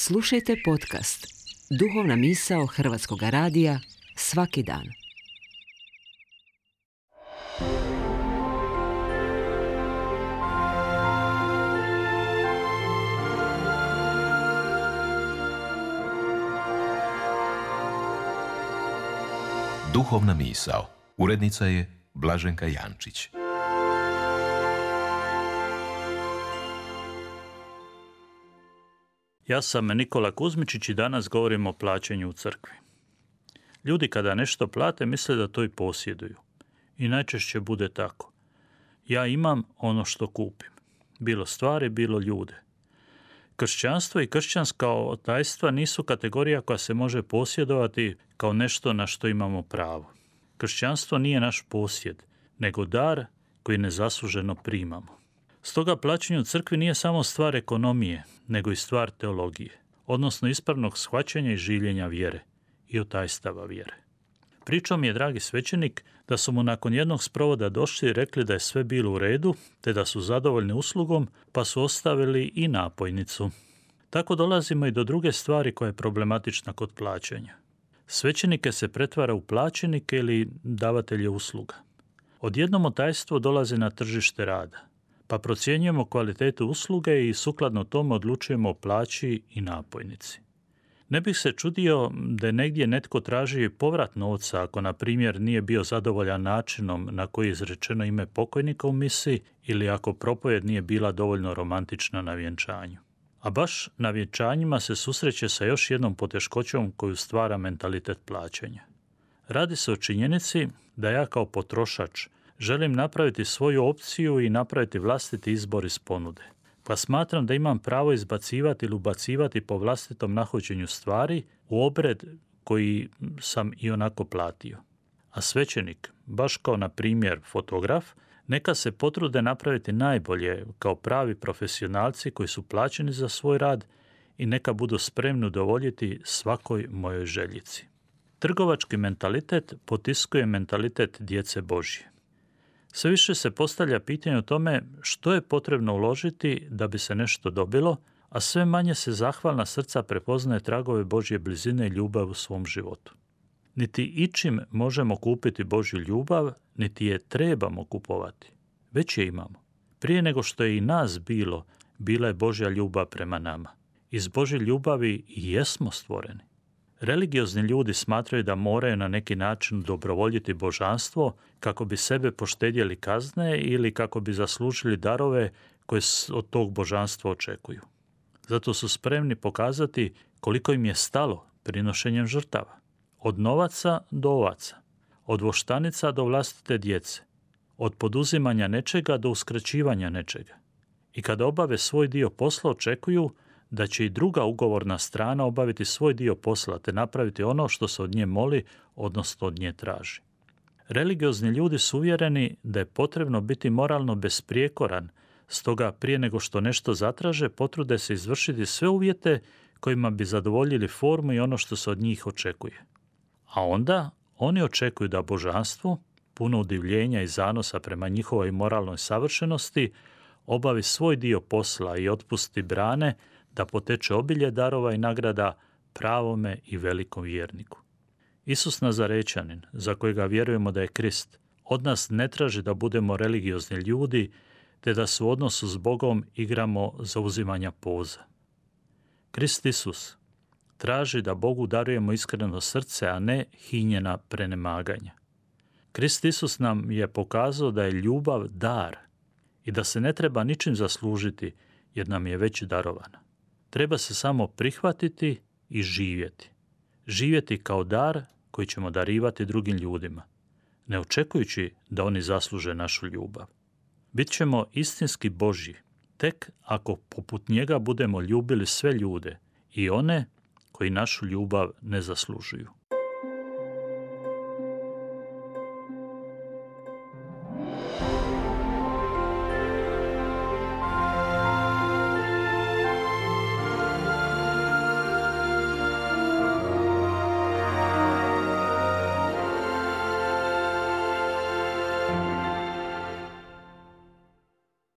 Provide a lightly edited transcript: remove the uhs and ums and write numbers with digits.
Slušajte podcast Duhovna misao Hrvatskog radija svaki dan. Duhovna misao. Urednica je Blaženka Jančić. Ja sam Nikola Kuzmičić i danas govorim o plaćanju u crkvi. Ljudi kada nešto plate misle da to i posjeduju. I najčešće bude tako. Ja imam ono što kupim. Bilo stvari, bilo ljude. Kršćanstvo i kršćanska otajstva nisu kategorija koja se može posjedovati kao nešto na što imamo pravo. Kršćanstvo nije naš posjed, nego dar koji nezasluženo primamo. Stoga plaćanje u crkvi nije samo stvar ekonomije, nego i stvar teologije, odnosno ispravnog shvaćanja i življenja vjere i otajstava vjere. Pričao mi je dragi svećenik da su mu nakon jednog sprovoda došli i rekli da je sve bilo u redu, te da su zadovoljni uslugom, pa su ostavili i napojnicu. Tako dolazimo i do druge stvari koja je problematična kod plaćanja. Svećenike se pretvara u plaćenike ili davatelje usluga. Odjednom otajstvo dolazi na tržište rada, pa procjenjujemo kvalitetu usluge i sukladno tome odlučujemo o plaći i napojnici. Ne bih se čudio da je negdje netko traži povrat novca ako, na primjer, nije bio zadovoljan načinom na koji je izrečeno ime pokojnika u misi ili ako propovjed nije bila dovoljno romantična na vjenčanju. A baš na vjenčanjima se susreće sa još jednom poteškoćom koju stvara mentalitet plaćanja. Radi se o činjenici da ja kao potrošač želim napraviti svoju opciju i napraviti vlastiti izbor iz ponude. Pa smatram da imam pravo izbacivati ili ubacivati po vlastitom nahođenju stvari u obred koji sam i onako platio. A svećenik, baš kao na primjer fotograf, neka se potrude napraviti najbolje kao pravi profesionalci koji su plaćeni za svoj rad i neka budu spremni udovoljiti svakoj mojoj željici. Trgovački mentalitet potiskuje mentalitet djece Božje. Sve više se postavlja pitanje o tome što je potrebno uložiti da bi se nešto dobilo, a sve manje se zahvalna srca prepoznaje tragove Božje blizine i ljubav u svom životu. Niti ičim možemo kupiti Božju ljubav, niti je trebamo kupovati. Već je imamo. Prije nego što je i nas bilo, bila je Božja ljubav prema nama. Iz Božje ljubavi i jesmo stvoreni. Religiozni ljudi smatraju da moraju na neki način dobrovoljiti božanstvo kako bi sebe poštedjeli kazne ili kako bi zaslužili darove koje od tog božanstva očekuju. Zato su spremni pokazati koliko im je stalo prinošenjem žrtava. Od novaca do ovaca, od voštanica do vlastite djece, od poduzimanja nečega do uskraćivanja nečega. I kada obave svoj dio posla očekuju da će i druga ugovorna strana obaviti svoj dio posla te napraviti ono što se od nje moli, odnosno od nje traži. Religiozni ljudi su uvjereni da je potrebno biti moralno besprijekoran, stoga prije nego što nešto zatraže potrude se izvršiti sve uvjete kojima bi zadovoljili formu i ono što se od njih očekuje. A onda oni očekuju da božanstvo, puno udivljenja i zanosa prema njihovoj moralnoj savršenosti, obavi svoj dio posla i otpusti brane da poteče obilje darova i nagrada pravome i velikom vjerniku. Isus Nazarečanin, za kojega vjerujemo da je Krist, od nas ne traži da budemo religiozni ljudi, te da se u odnosu s Bogom igramo zauzimanja poza. Krist Isus traži da Bogu darujemo iskreno srce, a ne hinjena prenemaganja. Krist Isus nam je pokazao da je ljubav dar i da se ne treba ničim zaslužiti jer nam je već darovana. Treba se samo prihvatiti i živjeti. Živjeti kao dar koji ćemo darivati drugim ljudima, ne očekujući da oni zasluže našu ljubav. Bit ćemo istinski Božji, tek ako poput njega budemo ljubili sve ljude i one koji našu ljubav ne zaslužuju.